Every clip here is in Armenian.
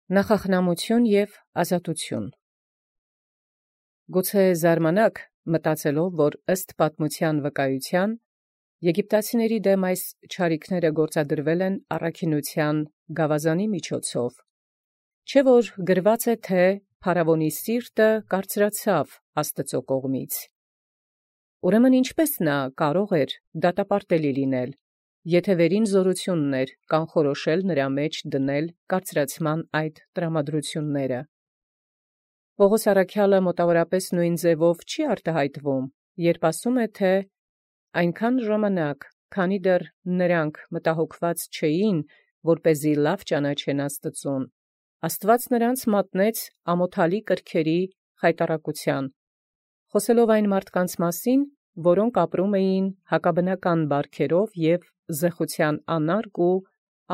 Նախախնամություն և ազատություն։ Գուցե զարմանաք մտածելով, որ ըստ պատմության վկայության եգիպտացիների դեմ այս չարիքները գործադրվել են առաքինության գավազանի միջոցով, չէ՞ որ գրված է, թե փարավոնի սիրտը կարծրացավ Աստծու կողմից։ Ուրեմն ինչպե՞ս նա կարող էր դատապարտելի լինել, եթե վերին զորությունն էր կանխորոշել նրա մեջ դնել կարծրացման այդ տրամադրությունները։ Պողոս առաքյալը մոտավորապես նույն ձևով չի արտահայտվում, երբ ասում է, թե այնքան ժամանակ, քանի դեռ նրանք մտահոգված չէին, որպեսզի լավ ճանաչեն Աստծուն, Աստված նրանց մատնեց ամոթալի կրքերի խայտառակության, խոսելով այն մարդկանց մասին, որոնք ապրում էին հակաբնական բարքերով և զեղության անարգ ու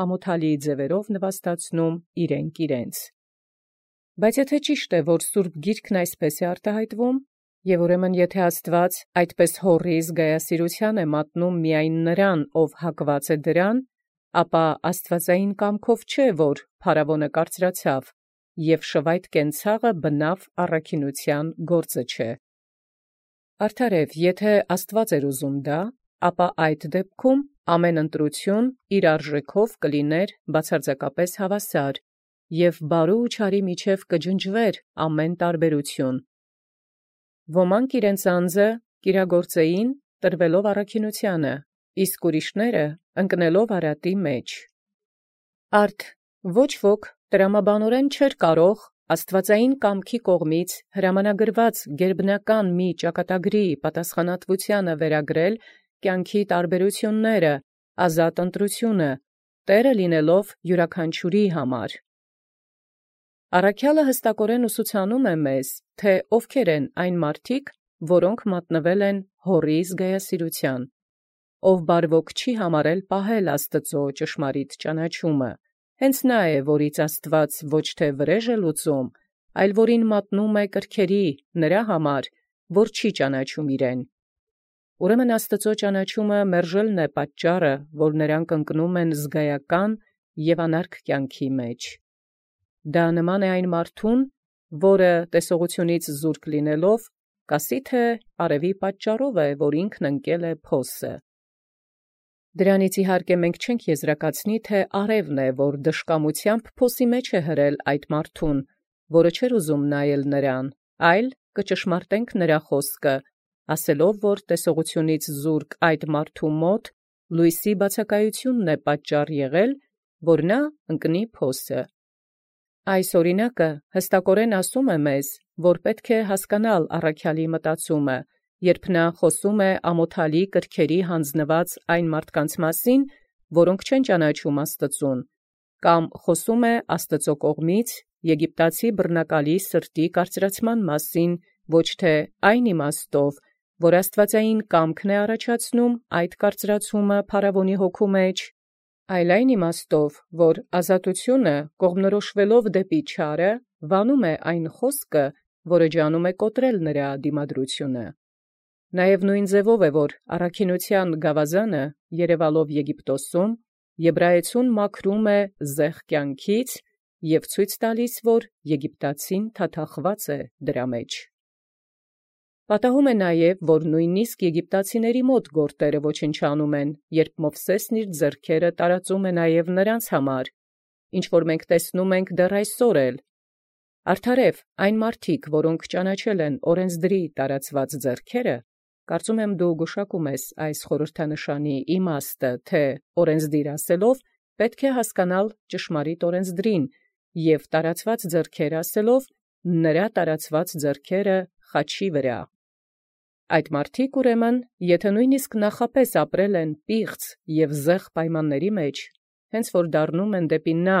ամոթալի ձևերով նվաստացնում իրենք իրենց։ Բայց եթե ճիշտ է, որ Սուրբ Գիրքն այսպես է արտահայտվում, և ուրեմն եթե Աստված այդպես հոռի զգայասիրության է մատնում միայն նրան, ով հակված է դրան, ապա աստվածային կամքով չէ, որ փարավոնը կարծրացավ, և շվայտ կենցաղը բնավ առաքինության գործը չէ։ Արդարև, եթե Աստված էր ուզում դա, ապա այդ դեպքում ամեն ընտրություն իր արժեքով կլիներ բացարձակապես հավասար, և բարու ու չարի միջև կջնջվեր ամեն տարբերություն։ Ոմանք իրենց անձը կիրագործեին տրվելով առաքինությանը, իսկ ուրիշները ընկնելով արատի մեջ։ Արդ ոչ ոք տրամաբանորեն չէր կարող աստվածային կամքի կողմից հրամանագրված գերբնական մի ճակատագրի պատասխանատվությանը վերագրել կյանքի տարբերությունները, ազատ ընտրությունը, Տերը լինելով յուրաքանչյուրի համար։ Առաքյալը հստակորեն ուսուցանում է մեզ, թե ովքեր են այն մարդիկ, որոնք մատնվել են հոռի զգայասիրության, ով բարվոք չի համարել պահել Աստծո ճշմարիտ ճանաչումը, հենց նա է, որից Աստված ոչ թե վրեժ է լուծում, այլ որին մատնում է կրքերի նրա համար, որ չի ճանաչում իրեն։ Ուրեմն Աստծո ճանաչումը մերժելն է պատճառը, որ նրանք ընկնում են զգայական և անարգ կյանքի մեջ։ Դա նման է այն մարդուն, որը տեսողությունից զուրկ լինելով, կասի, թե արևի պատճառով է, որ ինքն ընկել է փոսը։ Դրանից իհարկե մենք չենք եզրակացնի, թե արևն է, որ դժկամությամբ փոսի մեջ է հրել այդ մարդուն, որը չէր ուզում նայել նրան, այլ կճշմարտենք նրա խոսքը, ասելով, որ տեսողությունից զուրկ այդ մարդու մոտ լույսի բացակայությունն է պատճառ եղել, որ նա ընկնի փոսը։ Այս օրինակը հստակորեն ասում է մեզ, որ պետք է հասկանալ առաքյալի մտածումը, երբ նա խոսում է ամոթալի կրքերի հանձնված այն մարդկանց մասին, որոնք չեն ճանաչում Աստծուն, կամ խոսում է Աստծո կողմից եգիպտացի բռնակալի սրտի կարծրացման մասին, ոչ թե այն իմաստով, որ աստվածային կամքն է առաջացնում այդ կարծրացումը փարավոնի հոգու մեջ, այլ այն իմաստով, որ ազատությունը կողմնորոշվելով դեպի չարը, վանում է այն խոսքը, որը ջանում է կոտրել նրա դիմադրությունը։ Նաև նույն ձևով է, որ առաքինության գավազանը, երևալով Եգիպտոսում, եբրայեցուն մաքրում է զեղ կյանքից և ցույց տալիս, որ եգիպտացին թաթախված է դրա մեջ։ Պատահում է նաև, որ նույնիսկ եգիպտացիների մոտ գործերը ոչնչանում են, երբ Մովսեսն իր ձեռքերը տարածում է նաև նրանց համար, ինչ որ մենք տեսնում ենք դեռ այսօր էլ։ Արդարև, այն մարդիկ, որոնք ճանաչել են օրենսդրի տարածված ձեռքերը, կարծում եմ դու գուշակում ես այս խորհրդանշանի իմաստը, թե օրենսդիր ասելով պետք է հասկանալ ճշմարիտ օրենսդրին, և տարածված ձեռքեր ասելով նրա տարածված ձեռքերը խաչի վրա։ Այդ մարդիկ ուրեմն, եթե նույնիսկ նախապես ապրել են պիղծ և զեղ պայմանների մեջ, հենց որ դառնում են դեպի նա,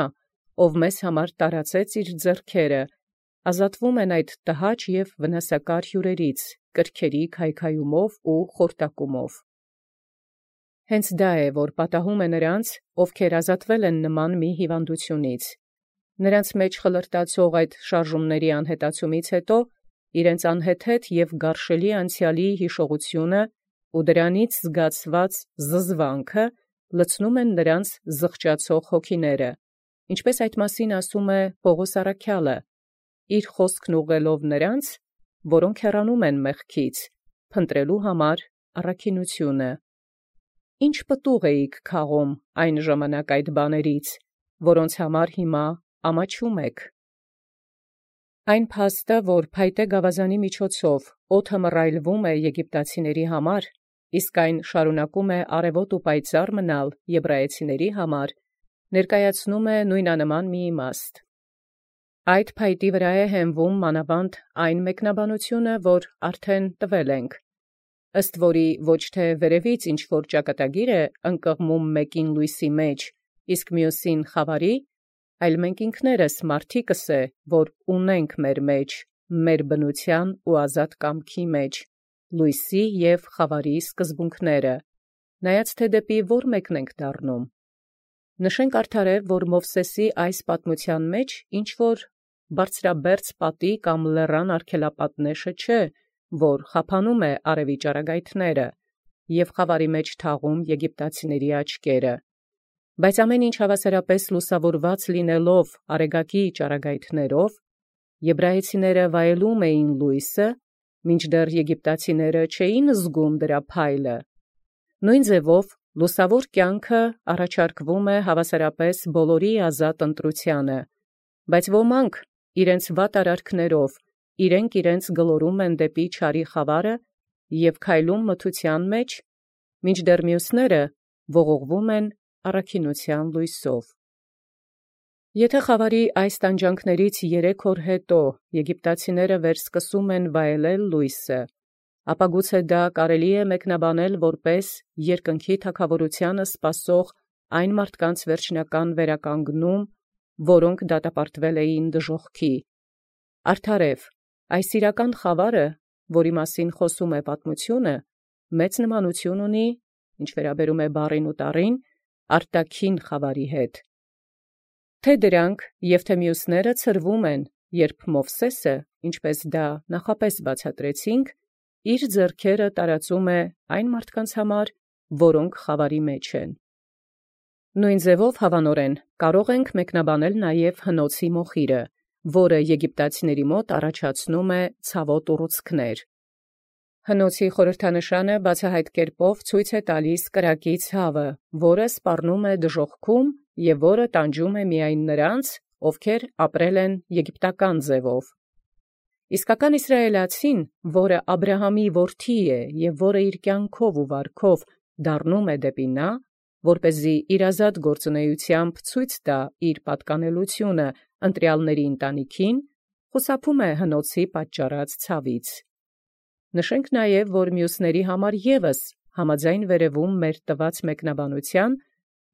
ով մեզ համար տարածեց իր ձեռքերը, ազատվում են այդ տհաճ և վնասակար հյուրերից, կրքերի քայքայումով ու խորտակումով։ Հենց դա է, որ պատահում է նրանց, ովքեր ազատվել են նման մի հիվանդությունից։ Նրանց մեջ խլրտացող այդ շարժումների անհետացումից հետո իրենց անհեթեթ և գարշելի անցյալի հիշողությունը ու դրանից զգացված զզվանքը լցնում են նրանց զղջացող հոգիները, Ինչպես այդ մասին ասում է Պողոս առաքյալը, իր խոսքն ուղղելով նրանց, որոնք հեռանում են մեղքից, փնտրելու համար առաքինությունը։ Ինչ պտուղ էիք քաղում այն ժամանակ այդ բաներից, որոնց համար հիմա ամաչում եք։ Այն փաստը, որ փայտե գավազանի միջոցով օդը մռայլվում է եգիպտացիների համար, իսկ այն շարունակում է արևոտ ու պայծառ մնալ եբրայեցիների համար, ներկայացնում է նույնանման մի իմաստ։ Այդ փայտի վրա է հենվում մանավանդ այն մեկնաբանությունը, որ արդեն տվել ենք, ըստ որի ոչ թե վերևից ինչ-որ ճակատագիր է ընկղմում մեկին լույսի մեջ, իսկ մյուսին խավարի, այլ մենք ինքներս մարդիկս է, որ ունենք մեր մեջ, մեր բնության ու ազատ կամքի մեջ, լույսի և խավարի սկզբունքները, նայած թե դեպի որ մեկն ենք դառնում։ Նշենք արդարև, որ Մովսեսի այս պատմության մեջ ինչ-որ բարձրաբերձ պատի կամ լեռան արգելապատնեշը չէ, որ խափանում է արևի ճառագայթները և խավարի մեջ թաղում եգիպտացիների աչքերը, բայց ամեն ինչ հավասարապես լուսավորված լինելով արեգակի ճառագայթներով, եբրայեցիները վայելում էին լույսը, մինչդեռ եգիպտացիները չէին զգում դրա փայլը։ Նույն ձևով լուսավոր կյանքը առաջարկվում է հավասարապես բոլորի ազատ ընտրությանը, բայց ոմանք իրենց վատ արարքներով իրենց գլորում են դեպի չարի խավարը և քայլում մթության մեջ, մինչդեռ մյուսները ողողվում են առաքինության լույսով։ Եթե խավարի այս տանջանքներից 3 օր հետո եգիպտացիները վերսկսում են վայելել լույսը, ապա գուցե դա կարելի է մեկնաբանել որպես երկնքի թագավորությանը սպասող այն մարդկանց վերջնական վերականգնում, որոնք դատապարտվել էին դժոխքի։ Արդարև, այս իրական խավարը, որի մասին խոսում է պատմությունը, մեծ նմանություն ունի, ինչ վերաբերում է բառին ու տառին, արտաքին խավարի հետ։ Թե դրանք և թե մյուսները ցրվում են, երբ Մովսեսը, ինչպես դա նախապես բացատրեցինք, իր ձեռքերը տարածում է այն մարդկանց համար, որոնք խավարի մեջ են։ Նույն ձևով հավանորեն կարող ենք մեկնաբանել նաև հնոցի մոխիրը, որը եգիպտացիների մոտ առաջացնում է ցավոտ ուռուցքներ։ Հնոցի խորհրդանշանը բացահայտ կերպով ցույց է տալիս կրակի ցավը, որը սպառնում է դժոխքում և որը տանջում է միայն նրանց, ովքեր ապրել են եգիպտական ձևով։ Իսկական իսրայելացին, որը Աբրահամի որդի է և որը իր կյանքով ու վարքով դառնում է դեպի նա, որպեսզի իր ազատ գործունեությամբ ցույց տա իր պատկանելությունը ընտրյալների ընտանիքին, խուսափում է հնոցի պատճառած ցավից։ Նշենք նաև, որ մյուսների համար ևս համաձայն վերևում մեր տված մեկնաբանության,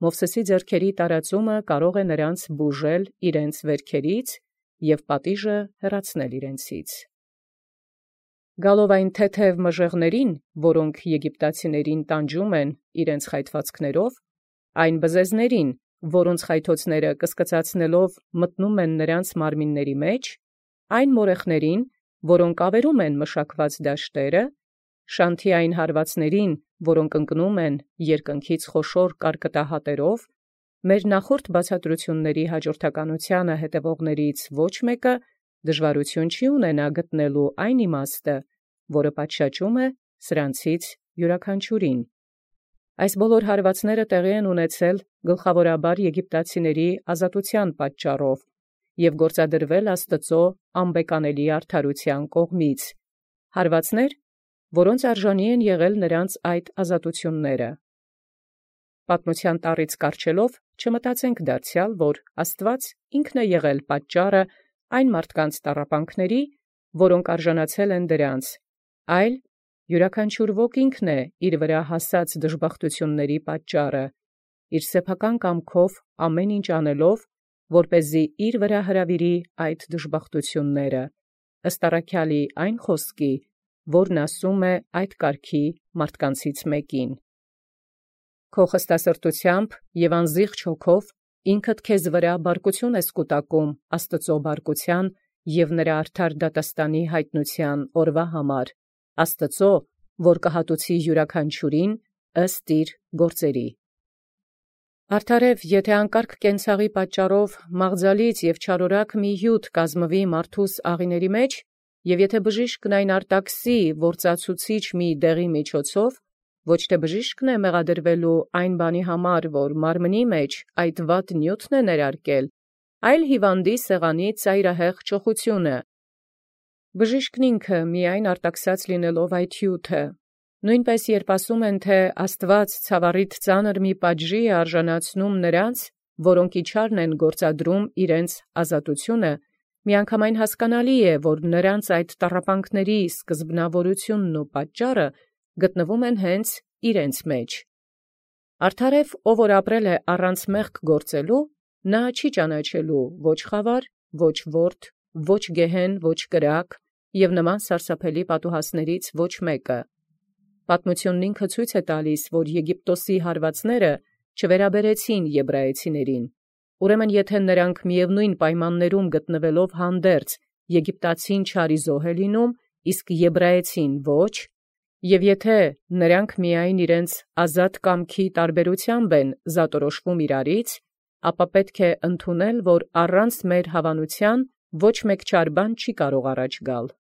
Մովսեսի ձեռքերի տարածումը կարող է նրանց բուժել իրենց վերքերից և պատիժը հեռացնել իրենցից։ Գալով այն թեթև մժեղներին, որոնք եգիպտացիներին տանջում են իրենց խայթվածքներով, այն բզեզներին, որոնց խայթոցները կսկծացնելով մտնում են նրանց մարմինների մեջ, այն մորեխներին, որոնք ավերում են մշակված դաշտերը, շանթի այն հարվածներին, որոնք ընկնում են երկնքից խոշոր կարկտահատերով, մեր նախորդ բացատրությունների հաջորդականությանը հետևողներից ոչ մեկը դժվարություն չի ունենա գտնելու այն իմաստը, որը պատշաճում է սրանցից յուրաքանչյուրին։ Այս բոլոր հարվածները տեղի են ունեցել գլխավորաբար եգիպտացիների ազատության պատճառով և գործադրվել Աստծո անբեկանելի արդարության կողմից, հարվածներ, որոնց արժանի են եղել նրանց այդ ազատությունները։ Պատմության տառից կառչելով չմտածենք դարձյալ, որ Աստված ինքն է եղել պատճառը այն մարդկանց տառապանքների, որոնք արժանացել են դրանց, այլ յուրաքանչյուր ոք ինքն է իր վրա հասած դժբախտությունների պատճառը, իր սեփական կամքով ամեն ինչ անելով, որպեսզի իր վրա հրավիրի այդ դժբախտությունները, ըստ առաքյալի այն խոսքի, որն ասում է այդ կարգի մարդկանցից մեկին. «Քո խստասրտությամբ և անզիղջ հոգով ինքդ քեզ վրա բարկություն ես կուտակում Աստծո բարկության և նրա արդար դատաստանի յայտնության օրվա համար, Աստծո, որ կհատուցի յուրաքանչյուրին ըստ իր գործերի»։ Արդարև եթե անկարգ կենցաղի պատճառով մաղձալից եւ չարորակ մի հիւթ կազմվի մարդուս աղիների մեջ, եւ եթե բժիշկն այն արտաքսի ործացուցիչ մի դեղի միջոցով, ոչ թե բժիշկն է մեղադրվելու այն բանի համար, որ մարմնի մեջ այդ վատ նյութն է ներարկել, այլ հիվանդի սեղանի ծայրահեղ ճոխությունը։ Բժիշկն ինքը միայն արտաքսած լինելով այդ հիւթը, նույնպես երբ ասում են, թե Աստուած ցավառիթ ծանր մի պատժի է արժանացնում նրանց, որոնք իջարն են գործադրում իրենց ազատությունը, միանգամայն հասկանալի է, որ նրանց այդ տառապանքների սկզբնավորությունն ու պատճառը գտնվում են հենց իրենց մեջ։ Արդարև ով որ ապրել է առանց մեղք գործելու, նա չի ճանաչելու ոչ խավար, ոչ ворդ, ոչ գեհեն, ոչ կրակ և նման սարսափելի պատուհասներից ոչ մեկը։ Պատմությունն ինքը ցույց է տալիս, որ Եգիպտոսի հարվածները չվերաբերեցին եբրայեցիներին։ Ուրեմն եթե նրանք միևնույն պայմաններում գտնվելով հանդերձ Եգիպտացին չարիզոհ է լինում, իսկ եբրայեցին ոչ, և եթե նրանք միայն իրենց ազատ կամքի տարբերությամբ են զատորոշվում իրարից, ապա պետք է ընդունել, որ առանց մեր հավանության ոչ մեկ չար բան չի կարող առաջ գալ։